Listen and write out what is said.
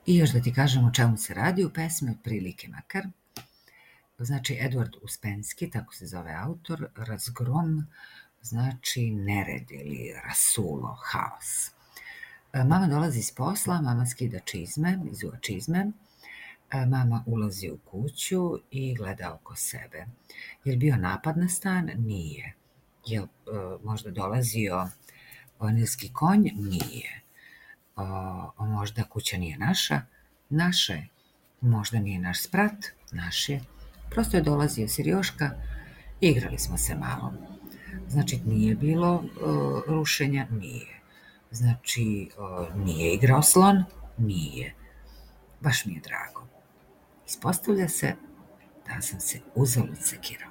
I još da ti kažem o čemu se radi u pesmi, otprilike makar. Znači, Edward Uspenski, tako se zove autor, razgrom, znači nered ili rasulo, haos. Mama dolazi s posla, mama skida čizme, izuva čizme, mama ulazi u kuću i gleda oko sebe. Je li bio napad na stan? Nije. Je li možda dolazio nilski konj? Nije. Možda kuća nije naša? Naša je. Možda nije naš sprat? Naš je. Prosto je dolazio Sirjoška, igrali smo se malo. Znači, nije bilo rušenja? Nije. Znači, nije igrao slon? Nije. Baš mi je drago. Ispostavlja se da sam se uzalud sekirao.